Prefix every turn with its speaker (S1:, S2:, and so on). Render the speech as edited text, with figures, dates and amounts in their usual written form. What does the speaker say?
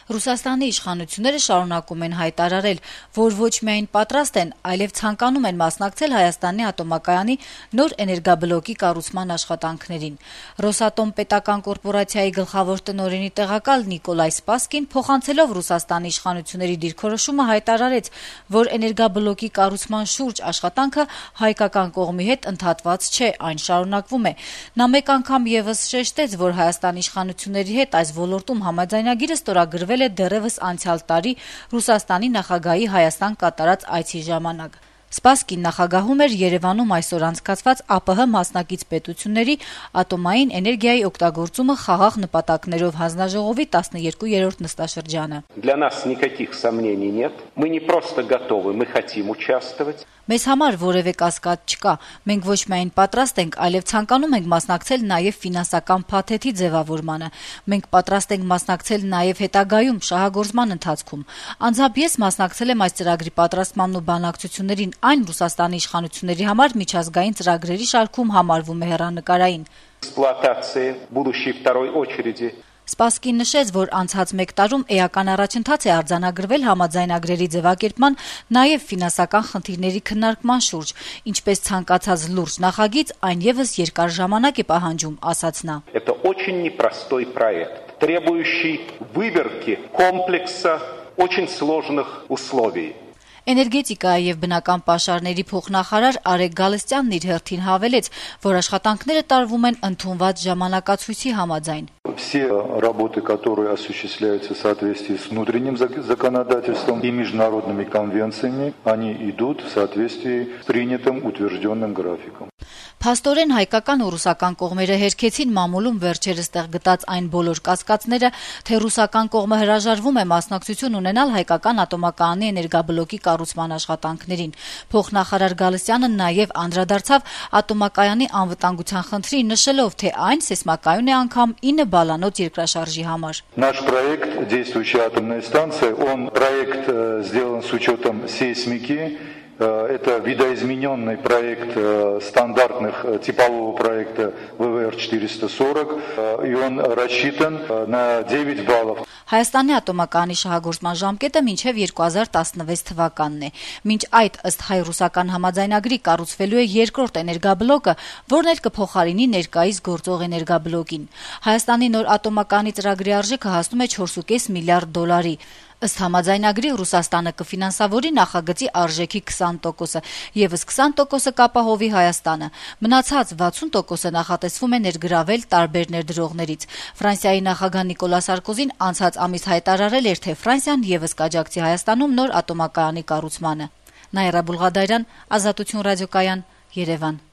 S1: Ռուսաստանի իշխանությունները շարունակում են հայտարարել, որ ոչ միայն պատրաստ են, այլև ցանկանում են մասնակցել Հայաստանի ատոմակայանի նոր էներգաբլոկի կառուցման աշխատանքներին։ Ռոսատոմ պետական կորպորացիայի գլխավոր տնօրենի տեղակալ Նիկոլայ Սպասկին փոխանցելով Ռուսաստանի իշխանությունների դիրքորոշումը հայտարարեց, որ էներգաբլոկի կառուցման շուրջ աշխատանքը հայկական կողմի հետ ընդհատված չէ, այն շարունակվում է։ Նա մեկ անգամ եւս շեշտեց, որ Հայաստանի իշխանությունների հետ այս ոլորտում համաձայնագիրը ստորագրվել է դեռևս անցյալ տարի Ռուսաստանի նախագահի Հայաստան կատարած այցի ժամանակ։ Սպասկին նախագահում էր Երևանում այսօր անցկացված ԱՊՀ մասնակից պետությունների ատոմային էներգիայի օգտագործումը խաղաղ նպատակներով հանձնաժողովի 12-րդ նստաշրջանը։
S2: Для нас никаких сомнений нет. Мы не просто готовы, мы хотим участвовать.
S1: Մեզ համար որևէ կասկած չկա։ Մենք ոչ միայն պատրաստ ենք, այլև ցանկանում ենք մասնակցել նաև ֆինանսական փաթեթի ձևավորմանը։ Մենք պատրաստ ենք մասնակցել նաև հետագայում շահագործման ընթացքում։ Անձամբ ես մասնակցել եմ այս ծրագրի պատրաստմանն ու բանակցություններին, այն Ռուսաստանի իշխանությունների համար միջազգային ծրագրերի շարքում համարվում է հեռանկարային։
S2: Эксплуатации будущей второй очереди.
S1: Սպասկին նշեց, որ անցած մեկ տարում էական առաջընթաց է արձանագրվել համաձայնագրերի ձևակերպման, նաև ֆինանսական խնդիրների քննարկման շուրջ, ինչպես ցանկացած լուրջ նախագիծ, այն եւս երկար ժամանակ է պահանջում, ասաց նա։
S2: Это очень непростой проект, требующий выверки комплекса очень сложных условий.
S1: Էներգետիկայի եւ բնական պաշարների փոխնախարար Արեգ Գալստյանն իր հերթին հավելեց, որ աշխատանքները տարվում են ընդունված ժամանակացույցի համաձայն։
S3: Все работы, которые осуществляются в соответствии с внутренним законодательством и международными конвенциями, они идут в соответствии с принятым утвержденным графиком.
S1: Փաստորեն հայկական ու ռուսական կողմերը հերքեցին մամուլում վերջերս տեղ գտած այն բոլոր կասկածները, թե ռուսական կողմը հրաժարվում է մասնակցություն ունենալ հայկական ատոմակայանի էներգաբլոկի կառուցման աշխատանքներին։ Փոխնախարար Գալստյանը նաև անդրադարձավ ատոմակայանի անվտանգության խնդրին, նշելով, թե այն սեյսմակայուն է անգամ 9 բալանոց երկրաշարժի համար։
S3: Наш проект «Действующая атомная станция», он проект сделан с учетом сейсмики. Это видоизмененный проект стандартных типового проекта ВВР-440, и он рассчитан на 9 баллов.
S1: Հայաստանի ատոմակայանի շահագործման ժամկետը մինչև 2016 թվականն է։ Մինչ այդ ըստ հայ-ռուսական համաձայնագրի կառուցվելու է երկրորդ էներգաբլոկը, որն էլ կփոխարինի ներկայիս գործող էներգաբլոկին։ Հայաստանի նոր ատոմակայանի ծրագրի արժեքը հասնում է 4.5 միլիարդ դոլարի։ Ըստ համաձայնագրի Ռուսաստանը կֆինանսավորի նախագծի արժեքի 20%-ը, եւս 20%-ը կապահովի Հայաստանը։ Մնացած 60%-ը նախատեսվում է ներգրավել տարբեր ներդրողներից։ Ֆրանսիայի նախագահ Նիկոլա Սարկոզին անցած ամիս հայտարարել էր, թե Ֆրանսիան եւս կաջակցի Հայաստանում նոր ատոմակայանի կառուցմանը։ Նաիրա Բուլղադարյան, Ազատություն ռադիոկայան, Երևան։